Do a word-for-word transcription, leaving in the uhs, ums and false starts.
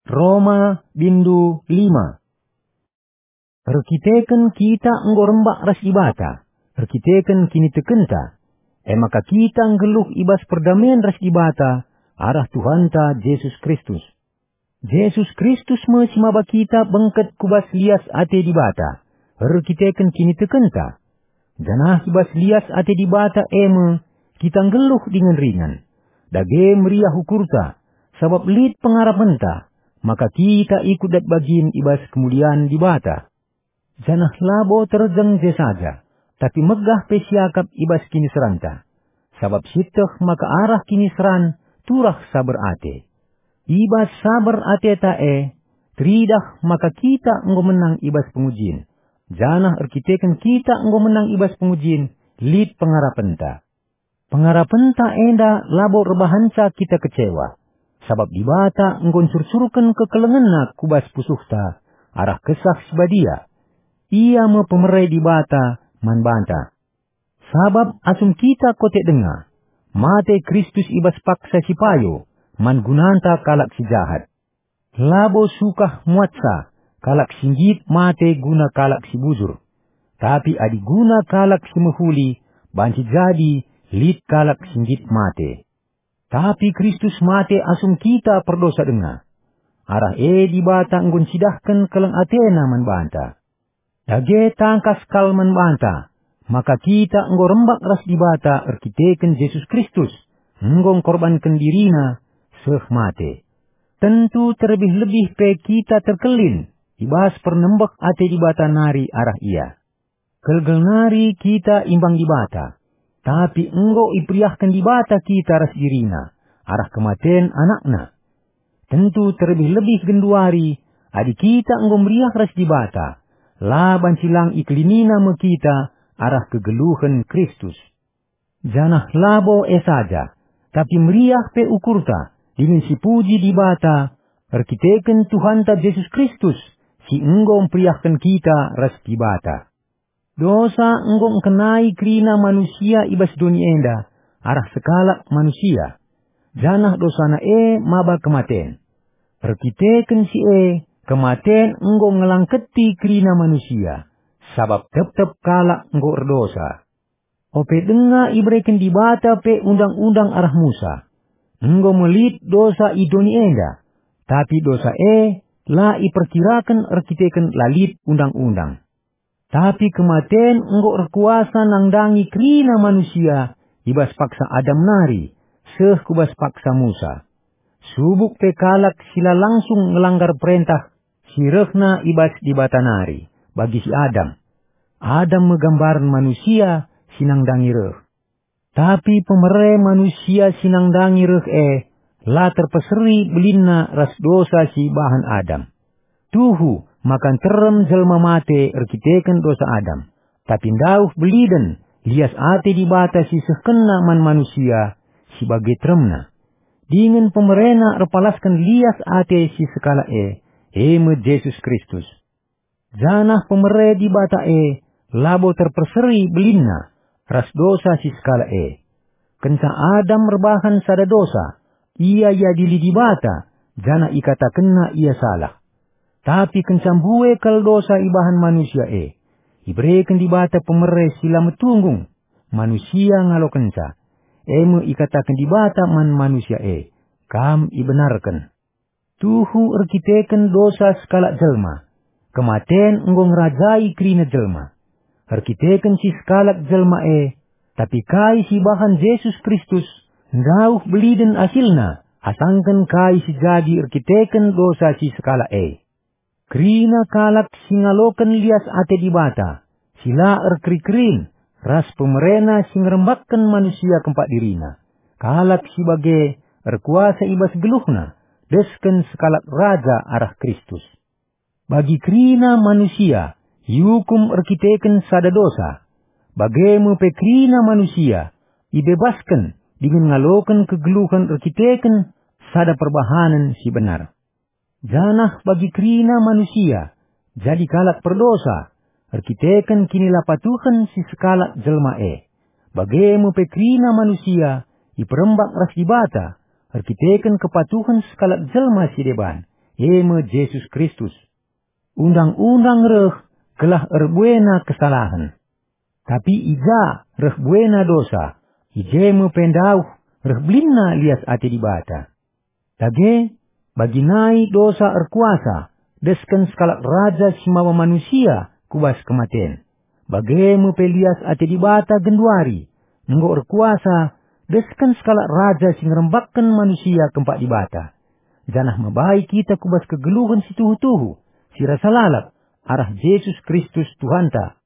Roma bindu lima. Erkiteken kita enggo rembak ras Dibata, erkiteken kinitekenta, e maka kita nggeluh i bas perdamen ras Dibata arah Tuhanta Jesus Kristus. Jesus Kristus me si maba kita bengket ku bas lias ate Dibata, erkiteken kinitekenta. Janah i bas lias ate Dibata e me kita nggeluh dingen ringan. Dage meriah ukurta, sabap lit pengarapenta, maka kita ikut dat bagin i bas kemulian Dibata. Janah labo terjeng je saja, tapi megah pe siakap i bas kiniseranta. Sabap sieteh maka arah kiniseran turah saber ate. I bas saber ateta e, teridah maka kita enggo menang i bas pengujin, janah erkiteken kita enggo menang i bas pengujin, lit pengarapenta. Pengarapenta enda labo erbahanca kita kecewa, sabap Dibata enggo ncurcurken kekelengenNa ku bas pusuhta arah Kesah Si Badia. Ia me pemere Dibata man banta. Sabap asum kita kote denga, mate Kristus i bas paksa si payo man gunanta kalak si jahat. Labo sukah muatsa kalak si nggit mate guna kalak si bujur, tapi adi guna kalak si mehuli banci jadi lit kalak si nggit mate. Tapi Kristus mate asum kita perdosa denga. Arah e Dibata enggo ncidahken keleng ateNa man banta. Dage tangkas kal man banta, maka kita enggo rembak ras Dibata erkiteken Jesus Kristus, enggo ngkorbanken diriNa seh mate. Tentu terlebih-lebih pe kita terkelin i bas pernembeh ate Dibata nari arah Ia. Gelgel nari kita imbang Dibata, tapi enggo iperiahken Dibata kita ras diriNa arah kematen AnakNa. Tentu terlebih-lebih genduari, adi kita enggo meriah ras Dibata, la banci lang ikelinina me kita arah kegeluhen Kristus. Janah labo e saja, tapi meriah pe ukurta dingen sipuji Dibata erkiteken Tuhanta Jesus Kristus, si enggo mperiahken kita ras Dibata. Dosa enggo ngkenai kerina manusia i bas doni enda arah sekalak manusia, janah dosana e maba kematen. Erkiteken si e, kematen enggo ngelangketi kerina manusia, sabap tep-tep kalak enggo erdosa. Ope denga ibereken Dibata pe undang-undang arah Musa, enggo me lit dosa i doni enda, tapi dosa e la iperkiraken erkiteken la lit undang-undang. Tapi kematen enggo erkuasa nandangi kerina manusia i bas paksa Adam nari seh ku bas paksa Musa. Subuk pe kalak si la langsung ngelanggar perentah si rehna i bas Dibata nari, bagi si Adam. Adam me gambaren manusia si nandangi reh. Tapi pemere manusia si nandangi reh e la terpeseri belinna ras dosa si ibahan Adam. Tuhu maka nterem jelma mate erkiteken dosa Adam, tapi ndauh beliden lias ate Dibata si sehkenna man manusia si bage teremna. Dingen pemerena erpalasken lias ate si sekalak e, e me Jesus Kristus. Janah pemere Dibata e labo terperseri belinna ras dosa si sekalak e. Kenca Adam erbahan sada dosa, ia iadili Dibata, janah ikatakenna ia salah. Tapi kenca mbue kal dosa ibahan manusia e, ibereken Dibata pemere si la metunggung, manusia ngalokenca. E me ikataken Dibata man manusia e, "Kam ibenarken." Tuhu erkiteken dosa sekalak jelma, kematen enggo ngerajai kerina jelma. Erkiteken si sekalak jelma e, tapi kai si ibahan Jesus Kristus, ndauh beliden asilna, asangken kai si jadi erkiteken dosa si sekalak e. Kerina kalak si ngaloken lias ate Dibata, si la erkeri-kerin, ras pemerena si ngerembakken manusia kempak dirina. Kalak si bage erkuasa i bas geluhna, desken sekalak raja arah Kristus. Bagi kerina manusia, iukum erkiteken sada dosa. Bage me pe kerina manusia, ibebasken dingen ngaloken kegeluhen erkiteken sada perbahanen si benar. Janah bagi kerina manusia, jadi kalak perdosa, erkiteken kinilapatuhen si sekalak jelma e. Bage me pe kerina manusia, iperembak ras Dibata, erkiteken kepatuhen sekalak jelma si deban, e me Jesus Kristus. Undang-undang reh gelah erbuena kesalahen. Tapi i ja reh buena dosa, i je me pe ndauh reh belinna lias ate Dibata. Dage, bagi nai dosa erkuasa, desken sekalak raja si maba manusia ku bas kematen. Bage me pe lias ate Dibata genduari, enggo erkuasa, desken sekalak raja si ngerembakken manusia kempak Dibata. Janah mabai kita ku bas kegeluhen si tuhu-tuhu, si rasa lalap, arah Jesus Kristus Tuhanta.